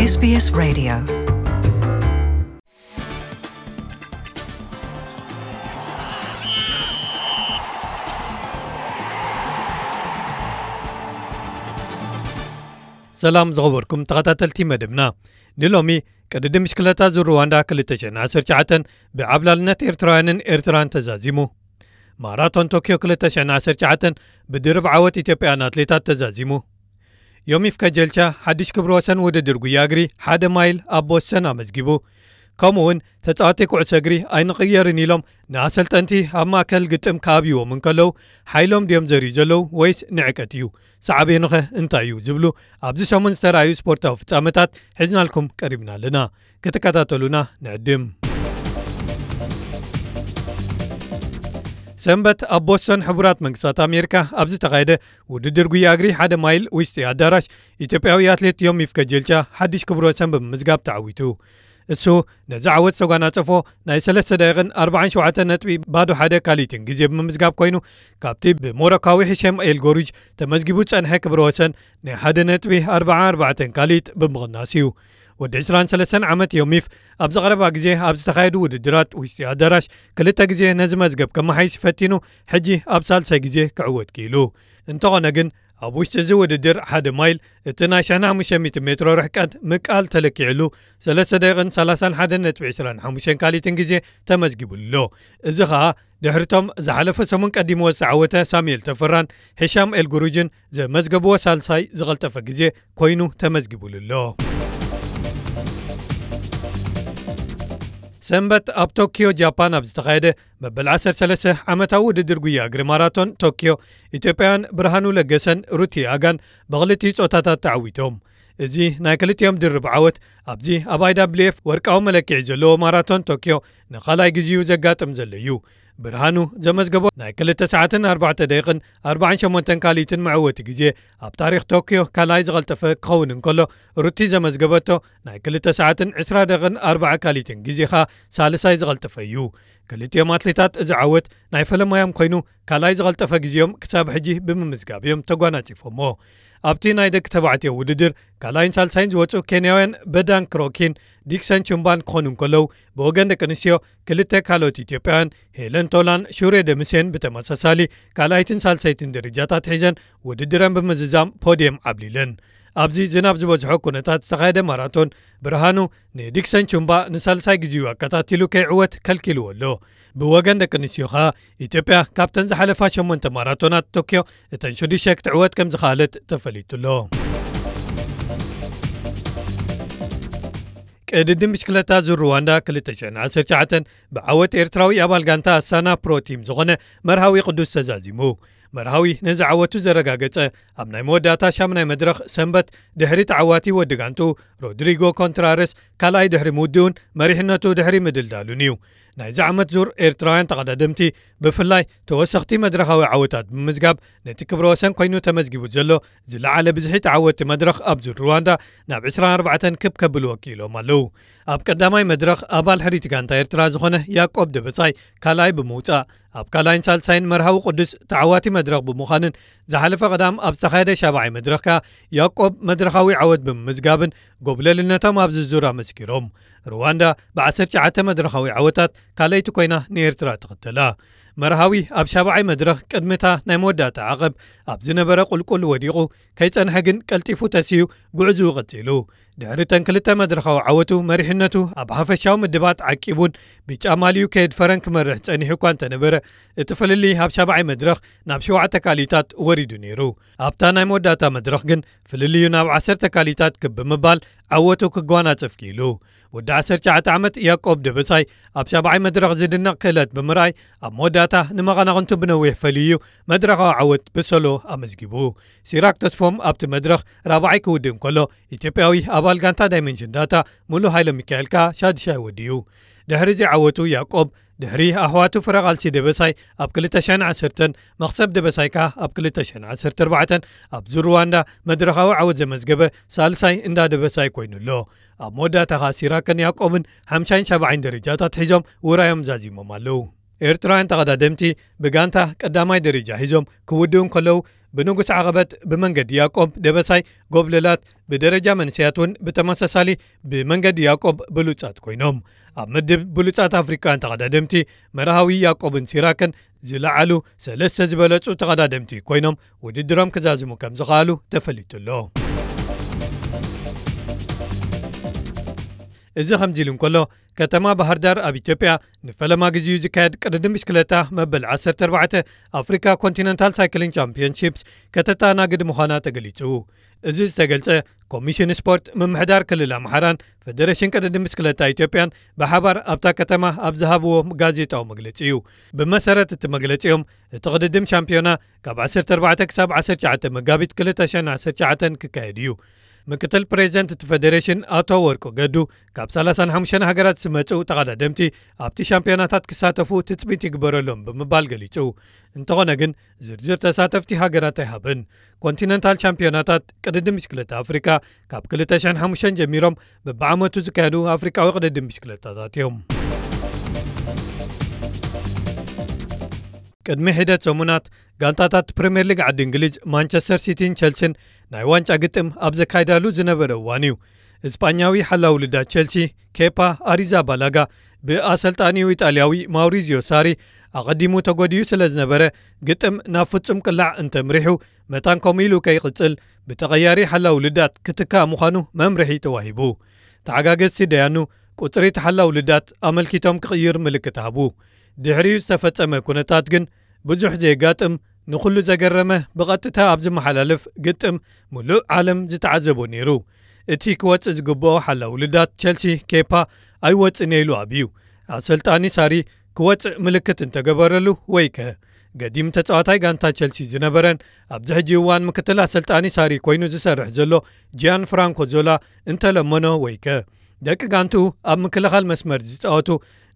S B S Radio. ሰላም ዝኸበርኩም ተኸታተልቲ መደብና። ንሎሚ ቅድድም ብሽክለታ ዙር ሩዋንዳ ክልተ ሽሕን ዓሰርተ ትሽዓተን ብዓብላልነት ኤርትራውያንን ኤርትራን ተዛዚሙ። ማራቶን ቶክዮ ክልተ ሽሕን ዓሰርተ ትሽዓተን ብድርብ ዓወት ኢትዮጵያን ኣትሌታት ተዛዚሙ። ዮሚፍ ከጀልቻ ሓድሽ ክብረ ወሰን ውድድር ጉያ እግሪ ሓደ ማይል ኣብ ቦስተን ኣመዝጊቡ። ከምኡ እውን ተጻወቲ ኩዕሶ እግሪ ኣይንቕየርን ኢሎም ንኣሰልጠንቲ ኣብ ማእከል ግጥም ክኣብይዎም እንከለዉ ሓይሎም ድዮም ዘርእዩ ዘለዉ ወይስ ንዕቀት እዩ? ሳዕቤኑኸ እንታይ እዩ? ዝብሉ ኣብዚ ሰሙን ዝተራእዩ ስፖርታዊ ፍጻመታት ሒዝናልኩም ቀሪብና ኣለና። ክትከታተሉና ንዕድም። ሰንበት ኣብ ቦስቶን ሕቡራት መንግስታት ኣሜሪካ ኣብ ዝተኻየደ ውድድር ጉያ እግሪ ሓደ ማይል ውሽጢ ኣዳራሽ ኢትዮጵያዊ ኣትሌት ዮሚፍ ከጀልቻ ሓድሽ ክብረ ወሰን ብምምዝጋብ ተዓዊቱ። እሱ ነዚ ዓወት ዝተጓናጸፎ ናይ ሰለስተ ደቂቕን ኣርባዓን ሸውዓተ ነጥቢ ባዶ ሓደ ካልኢትን ግዜ ብምምዝጋብ ኮይኑ፣ ካብቲ ብሞሮካዊ ሂሸም ኤል ጎሩጅ ተመዝጊቡ ዝጸንሐ ክብረ ወሰን ናይ ሓደ ነጥቢ ኣርባዓ ኣርባዕተን ካልኢት ብምቕናስ እዩ። ወዲ ዕስራን ሰለስተን ዓመት ዮሚፍ ኣብዚ ቀረባ ግዜ ኣብ ዝተኻየዱ ውድድራት ውሽጢ ኣዳራሽ ክልተ ግዜ ነዚ መዝገብ ከመሓይሽ ፈቲኑ፣ ሕጂ ኣብ ሳልሳይ ግዜ ክዕወት ክኢሉ። እንተኾነ ግን ኣብ ውሽጢ እዚ ውድድር ሓደ ማይል እቲ ናይ ሽሕን ሓሙሽተ ሚእትን ሜትሮ ርሕቀት ምቃል ተለኪዕሉ ሰለስተ ደቂቕን ሰላሳን ሓደ ነጥቢ ዕስራን ሓሙሽተን ካልኢትን ግዜ ተመዝጊቡሉ ኣሎ። እዚ ኸኣ ድሕሪቶም ዝሓለፈ ሰሙን ቀዲምዎ ዝተዓወተ ሳሙኤል ተፈራን ሂሻም ኤልጉሩጅን ዘመዝገብዎ ሳልሳይ ዝቐልጠፈ ግዜ ኮይኑ ተመዝጊቡሉ ኣሎ። ሰንበት ኣብ ቶኪዮ ጃፓን ኣብ ዝተኻየደ መበል ዓሰርተ ሰለስተ ዓመታዊ ውድድር ጉያ እግሪ ማራቶን ቶኪዮ ኢትዮጵያውያን ብርሃኑ ለገሰን ሩቲ ኣጋን ብኽልቲኡ ጾታታት ተዓዊቶም። እዚ ናይ ክልቲኦም ድርብ ዓወት ኣብዚ ኣብ ኣይ ዳብልዩ ኤፍ ወርቃዊ መለክዒ ዘለዎ ማራቶን ቶኪዮ ንኻልኣይ ግዜኡ ዘጋጥም ዘሎ እዩ። ብርሃኑ ዘመዝገቦ ናይ ክልተ ሰዓትን ኣርባዕተ ደቂቕን ኣርባዓን ሸሞንተን ካልኢትን መዕወቲ ግዜ ኣብ ታሪኽ ቶኪዮ ካልኣይ ዝቐልጠፈ ክኸውን እንከሎ፣ ሩቲ ዘመዝገበቶ ናይ ክልተ ሰዓትን ዕስራ ደቂቕን ኣርባዓ ካልኢትን ግዜ ኸኣ ሳልሳይ ዝቐልጠፈ እዩ። ክልቲኦም ኣትሌታት እዚ ዓወት ናይ ፈለማዮም ኮይኑ፣ ካልኣይ ዝቐልጠፈ ግዜኦም ክሳብ ሕጂ ብምምዝጋብ እዮም ተጓናጺፎሞ። ኣብቲ ናይ ደቂ ተባዕትዮ ውድድር ካልኣይን ሳልሳይን ዝወጹ ኬንያውያን በዳን ክሮኪን ዲክሰን ቹምባን ክኾኑ እንከለዉ፣ ብወገን ደቂ ኣንስትዮ ክልተ ካልኦት ኢትዮጵያውያን ሄለን ቶላን ሹሬ ደምሴን ብተመሳሳሊ ካልኣይትን ሳልሳይትን ደረጃታት ሒዘን ውድድረን ብምዝዛም ፖድየም ዓብሊለን። ኣብዚ ዝናብ ዝበዝሖ ኩነታት ዝተኻየደ ማራቶን ብርሃኑ ንዲክሰን ቹምባ ንሳልሳይ ግዜኡ ኣከታቲሉ ከይዕወት ከልኪልዎ ኣሎ። ብወገን ደቂ ኣንስትዮ ኸኣ ኢትዮጵያ ካብተን ዝሓለፋ ሸሞንተ ማራቶናት ቶክዮ እተን ሽዱሽተ ክትዕወት ከም ዝኸኣለት ተፈሊጡ ኣሎ። ቅድድም ብሽክለታ ዙር ሩዋንዳ ክልተ ሽሕን ዓሰርተ ትሽዓተን ብዓወት ኤርትራዊ ኣባል ጋንታ ኣስታና ፕሮ ቲም ዝኾነ መርሃዊ ቅዱስ ተዛዚሙ። መርሃዊ ነዚ ዓወቱ ዘረጋገጸ ኣብ ናይ መወዳእታ ሻምናይ መድረኽ ሰንበት ድሕሪ ተዓዋቲ ወዲ ጋንትኡ ሮድሪጎ ኮንትራረስ ካልኣይ ድሕሪ ምውድኡን መሪሕነቱ ድሕሪ ምድልዳሉን እዩ። ናይዚ ዓመት ዙር ኤርትራውያን ተቐዳደምቲ ብፍላይ ተወሰኽቲ መድረኻዊ ዓወታት ብምምዝጋብ ነቲ ክብረ ወሰን ኮይኑ ተመዝጊቡ ዘሎ ዝለዓለ ብዝሒ ተዓወቲ መድረኽ ኣብ ዙር ሩዋንዳ ናብ ዕስራን ኣርባዕተን ክብ ከብልዎ ክኢሎም ኣለዉ። ኣብ ቀዳማይ መድረኽ ኣባል ሕሪት ጋንታ ኤርትራ ዝኾነ ያቆብ ደበሳይ ካልኣይ ብምውጻእ፣ ኣብ ካልኣይን ሳልሳይን መርሃዊ ቅዱስ ተዓዋቲ መድረኽ ብምዃንን ዝሓለፈ ቀዳም ኣብ ዝተኻየደ ሻብዓይ መድረኽ ከኣ ያቆብ መድረኻዊ ዓወት ብምምዝጋብን ጎብለልነቶም ኣብዚ ዙር ኣመስኪሮም። ሩዋንዳ ብዓሰርተ ትሽዓተ መድረኻዊ ዓወታት ካልኣይቲ ኮይና ንኤርትራ ትኽተላ። መርሃዊ ኣብ ሻብዓይ መድረኽ ቅድሚ እታ ናይ መወዳእታ ዓቐብ ኣብ ዝነበረ ቁልቁል ወዲቑ ከይጸንሐ ግን ቀልጢፉ ተሲኡ ጉዕዝኡ ቀጺሉ። ድሕሪ እተን ክልተ መድረኻዊ ዓወቱ መሪሕነቱ ኣብ ሓፈሻዊ ምድባት ዓቂቡን ብጫ ማልዩ ከየድፈረን ክመርሕ ጸኒሑ እኳ እንተነበረ፣ እቲ ፍልልይ ኣብ ሻብዓይ መድረኽ ናብ ሸውዓተ ካልኢታት ወሪዱ ነይሩ። ኣብታ ናይ መወዳእታ መድረኽ ግን ፍልልዩ ናብ ዓሰርተ ካልኢታት ክብ ብምባል ዓወቱ ክጓናጸፍ ክኢሉ። ወዲ ዓሰርተ ትሽዓተ ዓመት ያቆብ ደበሳይ ኣብ ሻብዓይ መድረኽ ዝድነቕ ክእለት ብምርኣይ፣ ኣብ መወዳእታ ንመቐናቕንቱ ብነዊሕ ፈልዩ መድረኻዊ ዓወት ብሶሎ ኣመዝጊቡ። ሲራክ ተስፎም ኣብቲ መድረኽ ራብዓይ ክውድእ እንከሎ፣ ኢትዮጵያዊ ኣባል ጋንታ ዳይመንሽን ዳታ ሙሉ ሃይለ ሚካኤል ከኣ ሻድሻይ ወዲኡ። ድሕሪ እዚ ዓወቱ ያቆብ ድሕሪ ኣሕዋቱ ፍረ ቃልሲ ደበሳይ ኣብ ክልተ ሽሕን ዓሰርተን፣ መኽሰብ ደበሳይ ከኣ ኣብ ክልተ ሽሕን ዓሰርተ ኣርባዕተን ኣብ ዙር ሩዋንዳ መድረኻዊ ዓወት ዘመዝገበ ሳልሳይ እንዳ ደበሳይ ኮይኑ ኣሎ። ኣብ መወዳእታ ከኣ ሲራክን ያቆብን ሓምሻይን ሻብዓይን ደረጃታት ሒዞም ውራዮም ዛዚሞም ኣለዉ። ኤርትራውያን ተቐዳደምቲ ብጋንታ ቀዳማይ ደረጃ ሒዞም ክውድኡ እንከለዉ፣ ብንጉስ ዓቐበት ብመንገዲ ያዕቆብ ደበሳይ ጎብለላት፣ ብደረጃ መንእሰያት እውን ብተመሳሳሊ ብመንገዲ ያዕቆብ ብሉጻት ኮይኖም። ኣብ ምድብ ብሉጻት ኣፍሪቃውያን ተቐዳደምቲ መርሃዊ ያዕቆብን ሲራክን ዝለዓሉ ሰለስተ ዝበለጹ ተቐዳደምቲ ኮይኖም ውድድሮም ክዛዝሙ ከም ዝኸኣሉ ተፈሊጡ ኣሎ። እዚ ከምዚ ኢሉ እንከሎ፣ ከተማ ባህር ዳር ኣብ ኢትዮጵያ ንፈለማ ግዜኡ ዝካየድ ቅድድም ብሽክለታ መበል ዓሰርተ ኣርባዕተ ኣፍሪካ ኮንቲነንታል ሳይክሊንግ ቻምፒዮንሺፕስ ከተተኣናግድ ምዃና ተገሊጹ። እዚ ዝተገልጸ፣ ኮሚሽን ስፖርት ምምሕዳር ክልል ኣምሓራን ፌደሬሽን ቅድድም ብሽክለታ ኢትዮጵያን ብሓባር ኣብታ ከተማ ኣብ ዝሃብዎ ጋዜጣዊ መግለጺ እዩ። ብመሰረት እቲ መግለጺኦም፣ እቲ ቅድድም ሻምፒዮና ካብ ዓሰርተ ኣርባዕተ ክሳብ ዓሰርተ ትሽዓተ መጋቢት ክልተ ሽሕን ዓሰርተ ትሽዓተን ክካየድ እዩ። ምክትል ፕሬዚደንት እቲ ፌደሬሽን ኣቶ ወርቁ ገዱ፣ ካብ ሰላሳን ሓሙሽተን ሃገራት ዝመጹ ተቐዳደምቲ ኣብቲ ሻምፒዮናታት ክሳተፉ ትጽቢት ይግበረሎም ብምባል ገሊጹ። እንተኾነ ግን፣ ዝርዝር ተሳተፍቲ ሃገራት ኣይሃበን። ኮንቲነንታል ሻምፒዮናታት ቅድድም ብሽክለታ ኣፍሪካ ካብ ክልተ ሽሕን ሓሙሽተን ጀሚሮም በብዓመቱ ዝካየዱ ኣፍሪካዊ ቅድድም ብሽክለታታት እዮም። ቅድሚ ሒደት ሰሙናት፣ ጋንታታት ፕሪምየር ሊግ ዓዲ እንግሊዝ ማንቸስተር ሲቲን ቸልሲን ናይ ዋንጫ ግጥም ኣብ ዘካይዳሉ ዝነበረ እዋን እዩ፣ እስጳኛዊ ሓላው ልዳት ቸልሲ ኬፓ ኣሪዛባላጋ ብኣሰልጣኒኡ ኢጣልያዊ ማውሪዚዮ ሳሪ ኣቐዲሙ ተጎዲኡ ስለ ዝነበረ፣ ግጥም ናብ ፍጹም ቅላዕ እንተምሪሑ፣ መታን ከምኡ ኢሉ ከይቕጽል ብተቐያሪ ሓላው ልዳት ክትካእ ምዃኑ መምርሒ ተዋሂቡ። ተሓጋገዝቲ ደያኑ ቁጽሪ እቲ ሓላው ልዳት ኣመልኪቶም ክቕይር ምልክት ሃቡ። ድሕሪኡ ዝተፈጸመ ኩነታት ግን ብዙሕ ዘየጋጥም፣ ንኹሉ ዘገረመ፣ ብቐጥታ ኣብ ዝመሓላለፍ ግጥም ምሉእ ዓለም ዝተዓዘቦ ነይሩ። እቲ ክወጽእ ዝግብኦ ሓላው ልዳት ቸልሲ ኬፓ ኣይወጽእን እየ ኢሉ ኣብዩ። ኣሰልጣኒ ሳሪ ክወጽእ ምልክት እንተገበረሉ ወይከ? ገዲም ተጻዋታይ ጋንታ ቸልሲ ዝነበረን ኣብዚ ሕጂ እዋን ምክትል ኣሰልጣኒ ሳሪ ኮይኑ ዝሰርሕ ዘሎ ጂያን ፍራንኮ ዞላ እንተለመኖ ወይከ? ደቂ ጋንትኡ ኣብ ምክልኻል መስመር ዝጻወቱ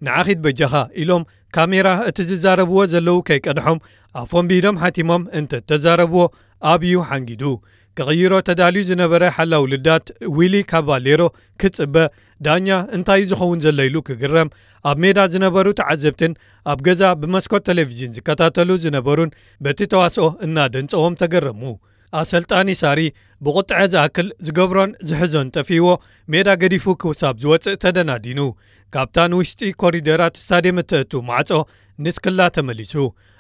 ንዓኺድ በጃኻ ኢሎም ካሜራ እቲ ዝዛረብዎ ዘለዉ ከይቀድሖም ኣፎም ብኢዶም ሓቲሞም እንተተዛረብዎ ኣብዩ ሓንጊዱ። ክቕይሮ ተዳልዩ ዝነበረ ሓላው ልዳት ዊሊ ካባሌሮ ክጽበ፣ ዳኛ እንታይ እዩ ዝኸውን ዘሎ ኢሉ ክግረም፣ ኣብ ሜዳ ዝነበሩ ተዓዘብትን ኣብ ገዛ ብመስኮት ቴሌቪዥን ዝከታተሉ ዝነበሩን በቲ ተዋስኦ እናደንጸዎም ተገረሙ። ኣሰልጣኒ ሳሪ ብቑጥዐ ዝኣክል ዝገብሮን ዝሕዞን ጠፊእዎ ሜዳ ገዲፉ ክሳብ ዝወጽእ ተደናዲኑ። ካብታ ንውሽጢ ኮሪደራት ስታድየም እተእቱ ማዕጾ ንስክላ ተመሊሱ።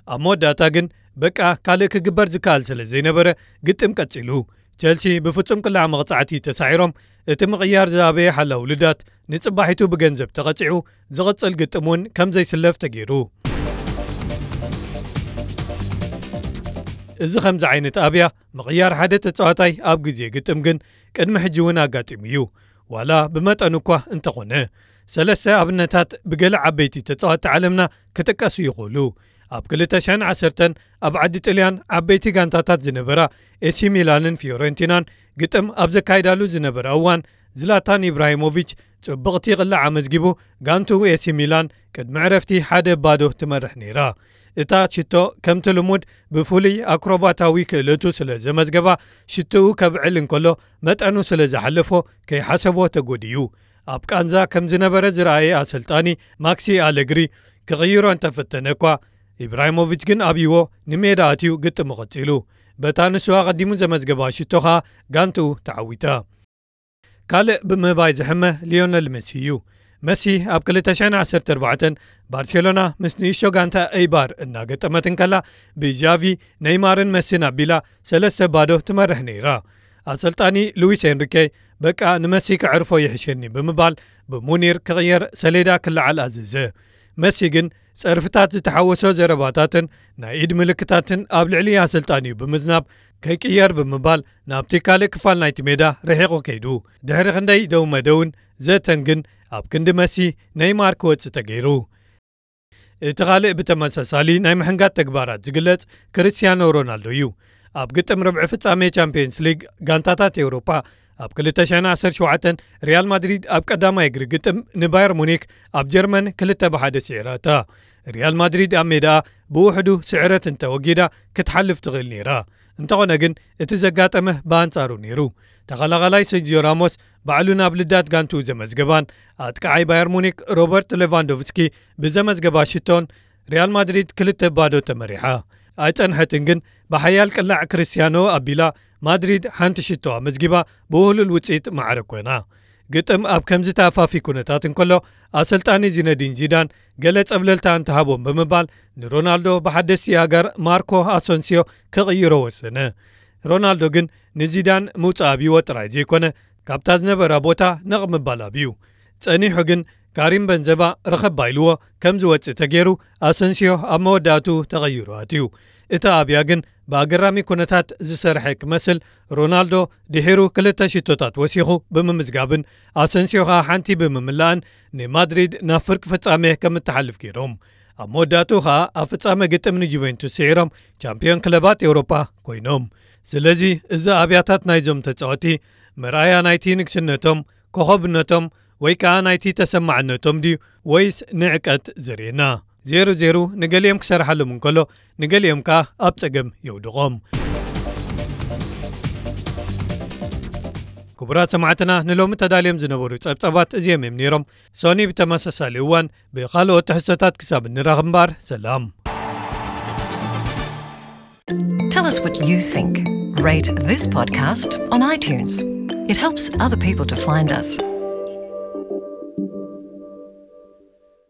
ኣብ መወዳእታ ግን በቃ ካልእ ክግበር ዝከኣል ስለ ዘይነበረ ግጥም ቀጺሉ። ቸልሲ ብፍጹም ቅላዕ መቕጻዕቲ ተሳዒሮም፣ እቲ ምቕያር ዝኣበየ ሓላው ልዳት ንጽባሒቱ ብገንዘብ ተቐጺዑ፣ ዝቕጽል ግጥም እውን ከም ዘይስለፍ ተገይሩ። እዚ ከምዚ ዓይነት ኣብያ ምቕያር ሓደ ተጻዋታይ ኣብ ግዜ ግጥም ግን ቅድሚ ሕጂ እውን ኣጋጢሙ እዩ፣ ዋላ ብመጠኑ እኳ እንተኾነ። ሰለስተ ኣብነታት ብገለ ዓበይቲ ተጻወትቲ ዓለምና ክጥቀሱ ይኽእሉ። ኣብ ክልተ ሽሕን ዓሰርተን ኣብ ዓዲ ጥልያን ዓበይቲ ጋንታታት ዝነበራ ኤሲ ሚላንን ፊዮረንቲናን ግጥም ኣብ ዘካይዳሉ ዝነበረ እዋን፣ ዝላታን ኢብራሂሞቪች ጽብቕቲ ቅላዕ ኣመዝጊቡ፣ ጋንትኡ ኤሲ ሚላን ቅድሚ ዕረፍቲ ሓደ ባዶ ትመርሕ ነይራ። እታ ሽቶ ከምቲ ልሙድ ብፍሉይ ኣክሮባታዊ ክእለቱ ስለ ዘመዝገባ፣ ሽቶኡ ከብዕል እንከሎ መጠኑ ስለ ዝሓለፎ ከይሓሰቦ ተጎዲዩ። ኣብ ቃንዛ ከም ዝነበረ ዝረኣየ ኣሰልጣኒ ማክሲ ኣለግሪ ክቕይሮ እንተፈተነ እኳ፣ ኢብራሂሞቪች ግን ኣብይዎ ንሜዳ ኣትዩ ግጥሙ ቀጺሉ። በታ ንሱ ኣቐዲሙ ዘመዝገባ ሽቶ ኸኣ ጋንትኡ ተዓዊታ። ካልእ ብምባይ ዝሕመ ሊዮነል መሲ እዩ። መሲ ኣብ ክልተ ሽሕን ዓሰርተ ኣርባዕተን ባርሴሎና ምስ ንእሽቶ ጋንታ ኤይባር እናገጠመት እንከላ፣ ብጃቪ፣ ነይማርን መሲን ኣቢላ ሰለስተ ባዶ ትመርሕ ነይራ። ኣሰልጣኒ ሉዊስ ኤንሪኬ፣ በቃ ንመሲ ከዕርፎ ይሕሸኒ ብምባል ብሙኒር ክቕየር ሰሌዳ ክለዓል ኣዘዘ። መሲ ግን ጸርፍታት ዝተሓወሶ ዘረባታትን ናይ ኢድ ምልክታትን ኣብ ልዕሊ ኣሰልጣኒኡ ብምዝናብ፣ ከይቅየር ብምባል ናብቲ ካልእ ክፋል ናይቲ ሜዳ ርሒቑ ከይዱ። ድሕሪ ክንደይ ደው መደውን ዘተን ግን ኣብ ክንዲ መሲ፣ ነይማር ክወጽእ ተገይሩ። እቲ ካልእ ብተመሳሳሊ ናይ ምሕንጋድ ተግባራት ዝግለጽ ክርስትያኖ ሮናልዶ እዩ። ኣብ ግጥም ርብዒ ፍጻሜ ቻምፒየንስ ሊግ ጋንታታት ኤውሮጳ ኣብ ክልተ ሽሕን ዓሰርተ ሸውዓተን ሪያል ማድሪድ ኣብ ቀዳማይ እግሪ ግጥም ንባየር ሙኒክ ኣብ ጀርመን ክልተ ብሓደ ስዒራታ። ሪያል ማድሪድ ኣብ ሜዳኣ ብውሕዱ ስዕረት እንተወጊዳ ክትሓልፍ ትኽእል ነይራ። እንተኾነ ግን እቲ ዘጋጠመ ብኣንጻሩ ነይሩ። ተኸላኻላይ ሰርጂዮ ራሞስ ባዕሉ ናብ ልዳት ጋንትኡ ዘመዝገባን ኣጥቃዓይ ባየር ሙኒክ ሮበርት ሌቫንዶቭስኪ ብዘመዝገባ ሽቶን ሪያል ማድሪድ ክልተ ባዶ ተመሪሓ። ኣይጸንሐትን፣ ግን ብሓያል ቅላዕ ክርስቲያኖ ኣቢላ ማድሪድ ሓንቲ ሽቶ ኣመዝጊባ ብውህሉል ውጽኢት ማዕረ ኮይና። ግጥም ኣብ ከምዚ ተኣፋፊ ኩነታት እንከሎ፣ ኣሰልጣኒ ዚነዲን ዚዳን ገለ ጸብለልታ እንተሃቦም ብምባል ንሮናልዶ ብሓደስቲ ኣጋር ማርኮ ኣሰንሲዮ ክቕይሮ ወሰነ። ሮናልዶ ግን ንዚዳን ምውጻእ ኣብይዎ ጥራይ ዘይኮነ፣ ካብታ ዝነበራ ቦታ ነቕ ምባል ኣብዩ። ጸኒሑ ግን ካሪም በንዘማ ርኸባ ኢልዎ ከም ዝወጽእ ተገይሩ፣ ኣሰንሲዮ ኣብ መወዳእቱ ተቐይሩ ኣትዩ። እቲ ኣብያ ግን ብኣገራሚ ኩነታት ዝሰርሐ ክመስል፣ ሮናልዶ ድሒሩ ክልተ ሽቶታት ወሲኹ ብምምዝጋብን ኣሰንሲዮ ኸኣ ሓንቲ ብምምላእን ንማድሪድ ናብ ፍርቂ ፍጻሜ ከም እትሓልፍ ገይሮም። ኣብ መወዳእቱ ኸኣ ኣብ ፍጻሜ ግጥም ንጁቬንቱስ ስዒሮም ቻምፒዮን ክለባት ኤውሮፓ ኮይኖም። ስለዚ እዚ ኣብያታት ናይዞም ተጻወቲ መርኣያ ናይቲ ንግስነቶም፣ ኮኸብነቶም ወይ ከኣ ናይቲ ተሰማዕነቶም ድዩ ወይስ ንዕቀት ዘርእየና? ዜሮ ዜሮ ንገሊኦም ክሰርሓሎም እንከሎ ንገሊኦም ከኣ ኣብ ጸገም የውድቖም። ክቡራት ሰማዕትና ንሎሚ ተዳልዮም ዝነበሩ ጸብጻባት እዚኦም እዮም ነይሮም። ሶኒ ብተመሳሳሊ እዋን ብኻልኦት ትሕዝቶታት ክሳብ እንራኸብ እምበኣር ሰላም። Tell us what you think. Rate this podcast on iTunes. It helps other people to find us.